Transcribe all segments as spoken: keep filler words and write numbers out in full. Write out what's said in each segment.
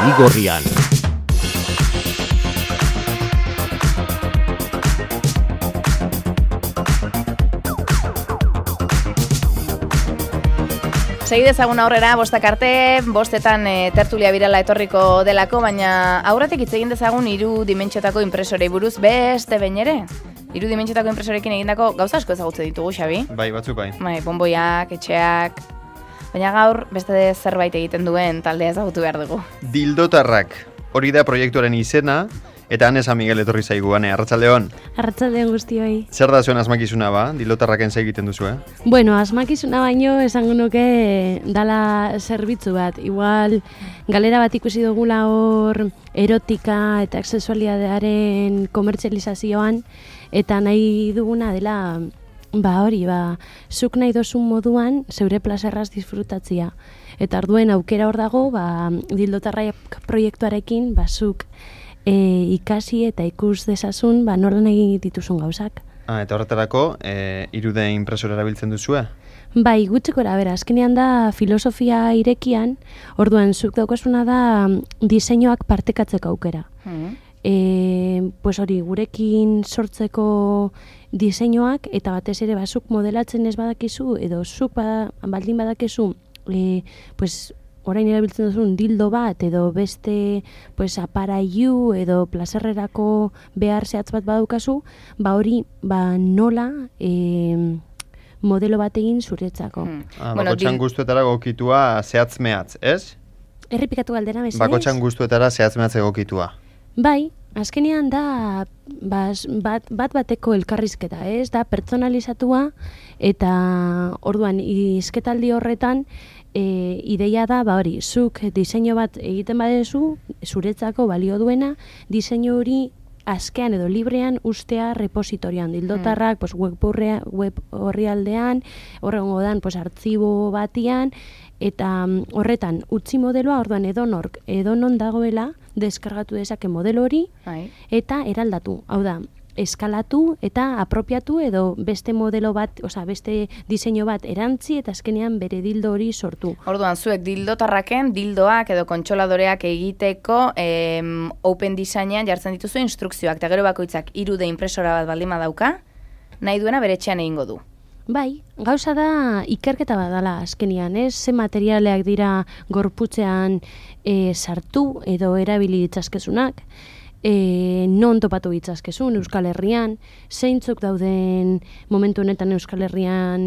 Zurigorrian. Segi dezagun aurrera, bostak arte, bostetan e, tertulia birala etorriko delako, baina aurretik hitz egin dezagun hiru dimentsiotako impresorei buruz beste behin ere. Hiru dimentsiotako impresorekin egindako gauza asko ezagutze ditugu, Xabi. Bai, batzuk bai. Bai, bonboiak, etxeak. Baina gaur beste zerbait egiten duen taldea ezagutu behar dugu. Dildotarrak. Hori da proiektuaren izena, eta Ane San Miguel etorri zaigu, Ane, arratsaldeon. Arratsaldeon guztioi. Zer da zuen asmakizuna ba? Dildotarraken egiten duzu, eh? Bueno, asmakizuna baino esango nuke dala zerbitzu bat. Igual galera bat ikusi dugula hor erotika eta sexualitatearen komertzializazioan, eta nahi duguna dela, ba hori, ba, zuk nahi dozun moduan zeure plazerraz disfrutatzia. Eta arduen aukera hor dago, ba, Dildotarrak proiektuarekin, ba, zuk E, ikasi eta ikus dezazun, ba, nola nahi dituzun gauzak. Ah, eta horretarako, e, irude impresora erabiltzen duzue? Bai, gutxikora, bera, azkenean da filosofia irekian, orduan zuk daukasuna da diseinuak partekatzeko aukera. Mm. E, pues hori, gurekin sortzeko diseinuak, eta batez ere, ba, zuk modelatzen ez badakizu, edo zuk ba, baldin badakizu, e, pues, orain erabiltzen duzun dildo bat edo beste pues, aparailu edo plazerrerako behar zehatz bat badaukazu, ba hori ba nola e, modelo bat egin zuretzako. Hmm. Ah, bueno, bakotxan dil... guztuetara gokitua zehatz mehatz, ez? Errepikatu galdera, mesedez? Bakotxan guztuetara zehatz mehatz egokitua. Bai, azkenean da bas, bat, bat bateko elkarrizketa, ez? Da pertsonalizatua eta orduan izketaldi horretan E, ideia da, ba hori, zuk diseinu bat egiten badezu, zuretzako balio duena, diseinu hori askean edo librean ustea repositorian. Dildotarrak, mm. pues, web, web horri aldean, horrengo dan, pues, artzibo batian, eta horretan utzi modeloa, orduan edonork, edonon dagoela, deskargatu dezake modelo hori, Ai. Eta eraldatu. Hau da, eskalatu eta apropiatu edo beste modelo bat, osea beste diseinu bat erantzi eta azkenean bere dildo hori sortu. Orduan, zuek dildotarraken dildoak edo kontsoladoreak egiteko em, open designean jartzen dituzu instrukzioak, eta gero bakoitzak irude impresora bat baldin badauka, nahi duena bere etxean egingo du. Bai, gauza da ikerketa badala azkenean, ez? Ze materialeak dira gorputzean e, sartu edo erabili ditzazkezunak, E, non topatu ditzazkezun Euskal Herrian, zeintzuk dauden momentu honetan Euskal Herrian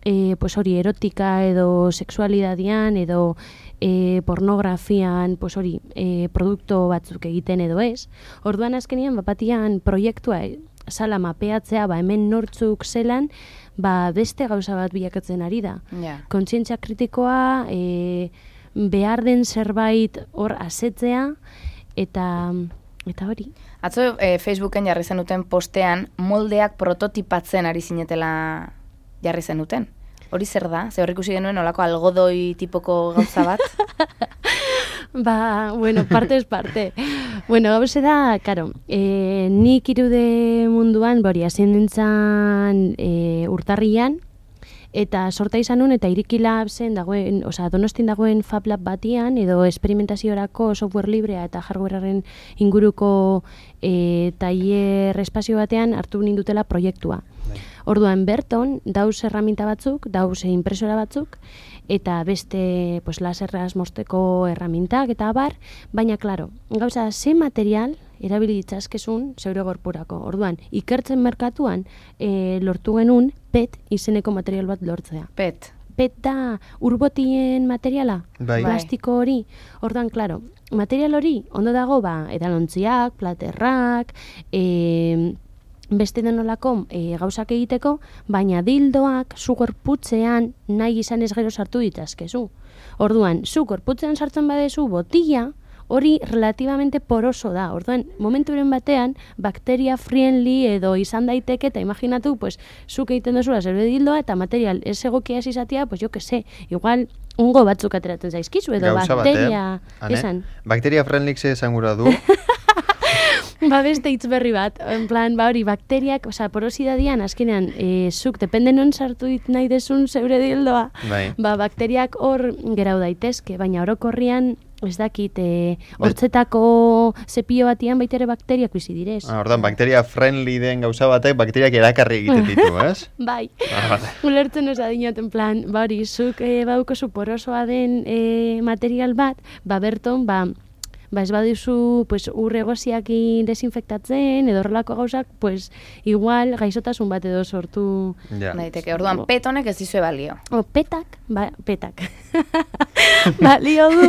e, pues hori erotika edo sexualidadian edo e, pornografian pues hori e, produktu batzuk egiten edo ez. Orduan azkenean bapatian proiektua sala mapeatzea, ba hemen nortzuk zelan, ba beste gauza bat bilakatzen ari da. Yeah. Kontzientzia kritikoa, e, behar den zerbait hor asetzea eta Eta hori. Atzo e, Facebooken jarri zenuten postean moldeak prototipatzen ari zinetela jarri zenuten. Hori zer da? Ze horrik ikusi genuen olako algodoi tipoko gauza bat? Ba, bueno, parte es parte. Bueno, gauze da, karo, e, nik irude munduan, bori, hazien dintzan e, urtarrian, eta sorta izan nun, eta Iriki Labsen dagoen, oza, Donostin dagoen Fab Lab batian, edo esperimentaziorako software librea eta hardwarearen inguruko e, tailer espazio batean hartu nindutela proiektua. Bai. Orduan berton, dauz erraminta batzuk, dauz impresora batzuk, eta beste pues, laserraz mosteko erramintak eta abar, baina, klaro, gauza, ze material erabili ditzazkezun zeure gorpurako. Orduan, ikertzen merkatuan e, lortu genuen P E T izeneko material bat lortzea. P E T? P E T da urbotien materiala, bai. Plastiko hori. Orduan, klaro, material hori ondo dago, ba, edalontziak, platerrak, e, beste denolako e, gauzak egiteko, baina dildoak zu gorputzean nahi izan ez gero sartu ditazkezu. Orduan, zu gorputzean sartzen badezu botila, hori relativamente poroso da. Orduan, momenturen batean, bakteria friendly edo izan daiteke, eta imaginatu, pues, zuk egiten duzula zeure dildoa, eta material ez egokia ez izatea, pues, jo que sé, igual, ungo batzuk ateratzen zaizkizu, edo Gauza bakteria... Bat, eh? Esan. Bakteria friendly ze esan gura du? Ba, beste hitz berri bat, en plan, ba hori, bakteriak, oza, porosidadian, azkenean, e, zuk, depende non sartu dit nahi desun zeure dildoa, bai. Ba, bakteriak hor gerau daitezke, baina orokorrian ez dakit, e, hortzetako zepio batian baita ere bakteriak bizi direz. Ah, ordan, bakteria friendly den gauza batek, bakteriak erakarri egiten ditu, ez? Bai, Ah, vale. ulertzen ez adinot, en plan, ba hori, zuk e, bauko zu porosoa den e, material bat, ba berton, ba, ba ez baduzu pues, urregoziakin desinfektatzen, edo horrelako gauzak, pues, igual gaixotasun bat edo sortu. Ja. Daiteke, orduan petonek ez dizue balio. O, petak, ba, petak. Balio du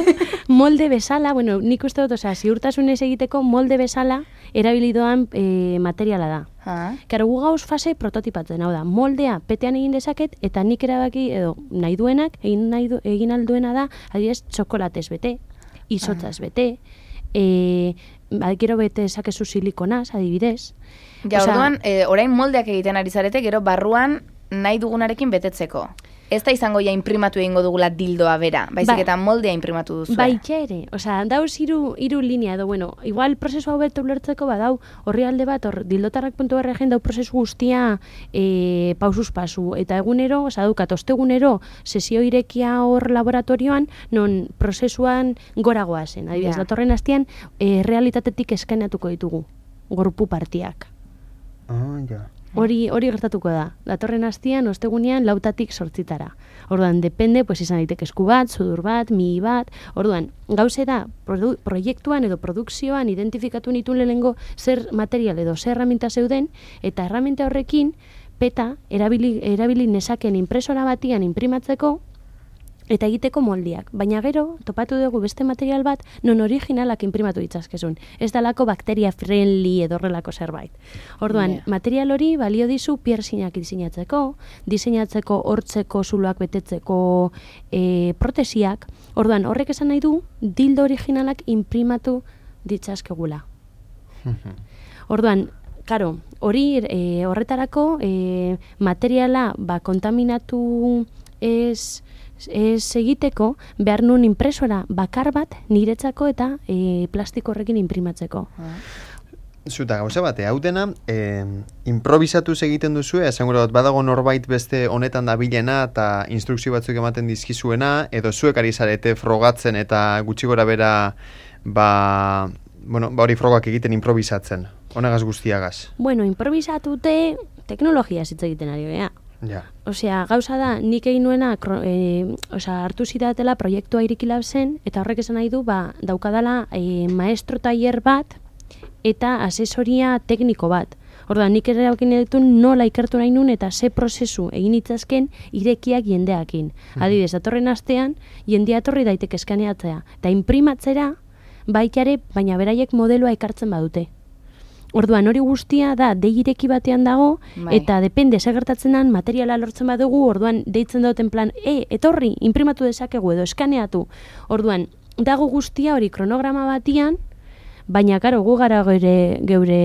molde bezala, bueno, nik uste dut, osea, ziurtasunez egiteko molde bezala erabilidoan e, materiala da. Ah. Karo, gu gauz fase prototipatzen, hau da, moldea petean egin dezaket, eta nik erabaki, edo nahi duenak, egin, nahi du, egin alduena da, adibidez, txokolatez bete, izotzaz bete, e, gero bete ezakezu silikonaz, adibidez. Ja, Osea, orduan, e, orain moldeak egiten ari zarete, gero barruan nahi dugunarekin betetzeko. Ez da izango ja imprimatu egingo dugula dildoa bera, baizik Ba- eta moldea imprimatu duzu. Baita ere, osea, dauz hiru hiru linea edo, bueno, igual prozesu hau beto ulertzeko badau horri alde bat, hor dildotarrak puntu berregen dau prozesu guztia e, pausuz pasu, eta egunero, osea, daukat, ostegunero sesio irekia hor laboratorioan, non prozesuan goragoa zen, adibidez, Ja. datorren astean e, realitatetik eskainatuko ditugu, gorpu partiak. Ah, ja. Hori hori gertatuko da. Datorren astean ostegunean lautatik sortzitara. Orduan depende, pues izan daiteke esku bat, sudur bat, mihi bat. Orduan, gauze da produ, proiektuan edo produkzioan identifikatu nituen lehengo zer material edo zer erraminta zeuden, eta erraminta horrekin peta erabili erabili nezaken impresora batian imprimatzeko eta egiteko moldiak. Baina gero, topatu dugu beste material bat, non originalak imprimatu ditzazkezun. Ez dalako bakteria friendly edo horrelako zerbait. Orduan, Yeah. material hori balio dizu piercinak diseinatzeko, diseinatzeko hortzeko zuloak betetzeko e, protesiak. Orduan, horrek esan nahi du, dildo originalak imprimatu ditzazkegula. Orduan, karo, hori e, horretarako e, materiala ba, kontaminatu ez... ez egiteko, behar nun impresora bakar bat niretzako eta e, plastiko horrekin imprimatzeko. Zuta gauza bate, hau dena, eh, improvisatuz egiten duzu, esan gure badago norbait beste honetan da bilena eta instrukzio batzuk ematen dizkizuena, edo zuek ari zarete frogatzen eta gutxi gora bera, ba, bueno, ba hori frogak egiten improvisatzen, honegaz guztiagaz. Bueno, improvisatute teknologia hitz egiten ari gea. Ja. Osea, gauza da, nik egin nuena, e, osea, hartu zidatela proiektua irikilab zen, eta horrek esan nahi du, ba, daukadala e, maestro tailer bat, eta asesoria tekniko bat. Orduan, nik ere haukin ditu nola ikertu nahi nun, eta ze prozesu egin itzazken irekiak jendeakin. Adibidez, datorren astean, jendea etorri daiteke eskaneatzea, eta imprimatzera, baitare, baina beraiek modeloa ekartzen badute. Orduan, hori guztia da dei ireki batean dago, Bai. eta depende ze gertatzen den materiala lortzen badugu, orduan deitzen duten plan, e, etorri, imprimatu dezakegu edo eskaneatu. Orduan, dago guztia hori kronograma batian, baina karo gu gara geure, geure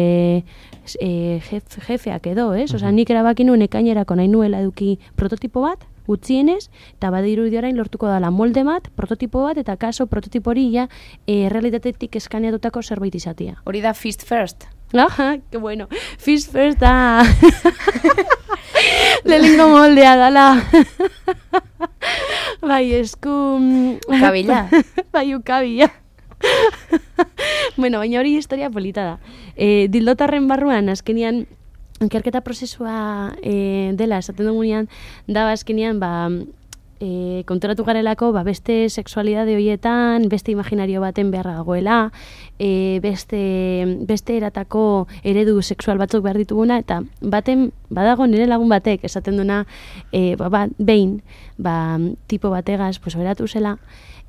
e, jef, jefeak edo, ez? Osea, nik erabaki nuen ekainerako nahi nuela eduki prototipo bat, gutxienez, eta badiru orain lortuko dala molde bat, prototipo bat, eta kaso prototipo hori ja e, realitatetik eskaneatutako zerbait izatia. Hori da fist first. Aha, que bueno. Fish first da. Lehenengo moldea dala. Bai, esku... Ukabila. Bai, ukabila. Bueno, baina hori historia polita da. E, dildotarren barruan, azkenian, ikerketa prozesua e, dela, esaten dugunean, da azkenian, ba, e, konturatu garelako, ba, beste sexualidade horietan, beste imaginario baten beharra dagoela, e, beste, beste eratako eredu sexual batzuk behar dituguna, eta baten, badago nire lagun batek, esaten duna, e, ba, ba, behin, ba, tipo bategaz, pues, beratu zela,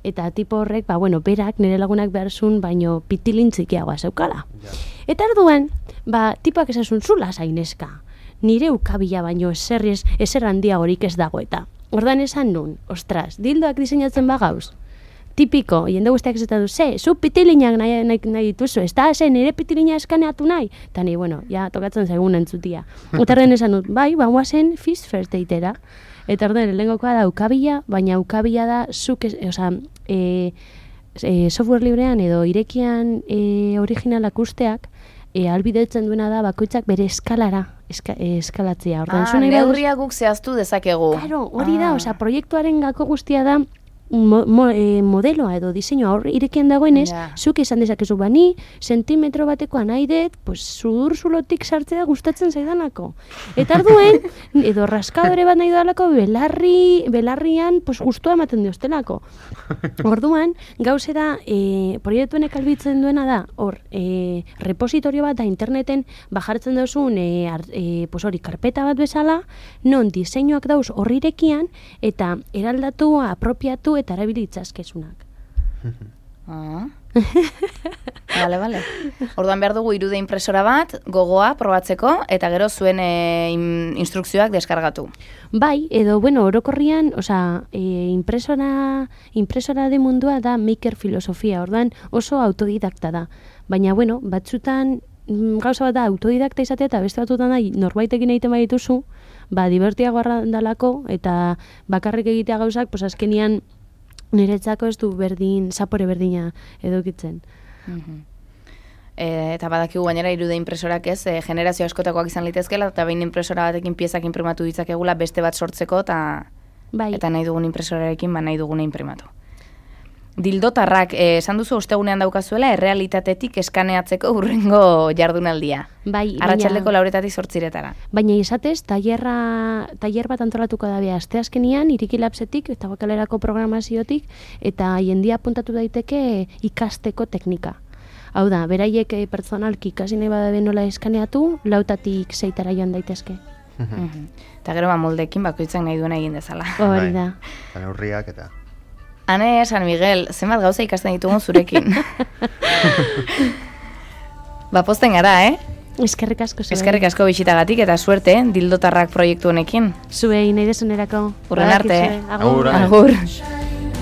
eta tipo horrek, ba, bueno, berak nire lagunak behar zuen, baino pitilin txikiagoa zeukala. Ja. Eta orduan, ba, tipoak esan zula zaineska, nire ukabila baino eser, eser handia horik ez dago eta. Orduan esan nun, ostras, dildoak diseinatzen bagauz, tipiko, jende guztiak esaten du, ze, zu pitilinak nahi, nahi, nahi dituzu, ez da, ze, nire pitilina eskaneatu nahi? Eta ni, bueno, ja, tokatzen zaigun entzutia. Eta orduan esan dut, bai, bagoa zen fist first deitera. Eta orduan, lehenkoa da ukabila, baina ukabila da, zuk, oza, e, e, software librean edo irekian e, originalak usteak, e, albidetzen duena da bakoitzak bere eskalara eska, e, eskalatzea. Orduan, Ah, neurria guk zehaztu dezakegu. Claro, hori da, Ah. osea, proiektuaren gako guztia da mo, mo, e, modeloa edo diseinua hor irekian dagoenez, Ja. zuk izan dezakezu bani, sentimetro batekoa nahi dut, pues sudur zulotik sartzea gustatzen zaidanako. Eta arduen, edo raskadore bat nahi dalako, belarri, belarrian, pues gustua ematen diostelako. Orduan, gauzera, e, proiektuenek albitzen duena da, hor, e, repositorio bat da interneten bajartzen duzun, e, ar, e, pues hori, karpeta bat bezala, non diseinuak dauz horri irekian, eta eraldatu, apropiatu eta erabilitzazkezunak. Ah. Vale, vale. Orduan behar dugu irude impresora bat, gogoa probatzeko, eta gero zuen e, in, instrukzioak deskargatu. Bai, edo, bueno, orokorrian, osea, e, impresora, impresora de mundua da maker filosofia, orduan oso autodidakta da. Baina, bueno, batzutan mm, gauza bat da autodidakta izatea eta beste batzutan da norbaitekin egiten badituzu, ba, divertiago dalako eta bakarrik egitea gauzak, pues azkenian niretzako ez du berdin, zapore berdina edukitzen. Mhm. E, eta badakigu gainera irude impresorak ez, e, generazio askotakoak izan litezkela, eta behin impresora batekin piezak imprimatu ditzakegula beste bat sortzeko, eta Bai. eta nahi dugun impresorarekin, ba nahi duguna imprimatu. Dildotarrak, eh, esan duzu ostegunean daukazuela, errealitatetik eskaneatzeko hurrengo jardunaldia. Bai, Arratsaldeko lauretatik zortziretara. Baina izatez, tailerra, tailer bat antolatuko da bea asteazkenian, Iriki Labsetik eta Bakalerako programaziotik, eta jendia apuntatu daiteke ikasteko teknika. Hau da, beraiek eh, pertsonalki ikasi nahi badabe nola eskaneatu, lautatik seitara joan daitezke. Mhm. Eta gero ba moldekin bakoitzak nahi duena egin dezala. Hori da. Eta neurriak eta... Ane, San Miguel, zenbat gauza ikasten ditugun zurekin. Ba, posten gara, eh? Eskerrik asko zuei. Eskerrik asko bisitagatik eta suerte, eh? Dildotarrak proiektu honekin. Zuei nahi desunerako. Hurren arte. Badakizue. Agur. Agur. Agur.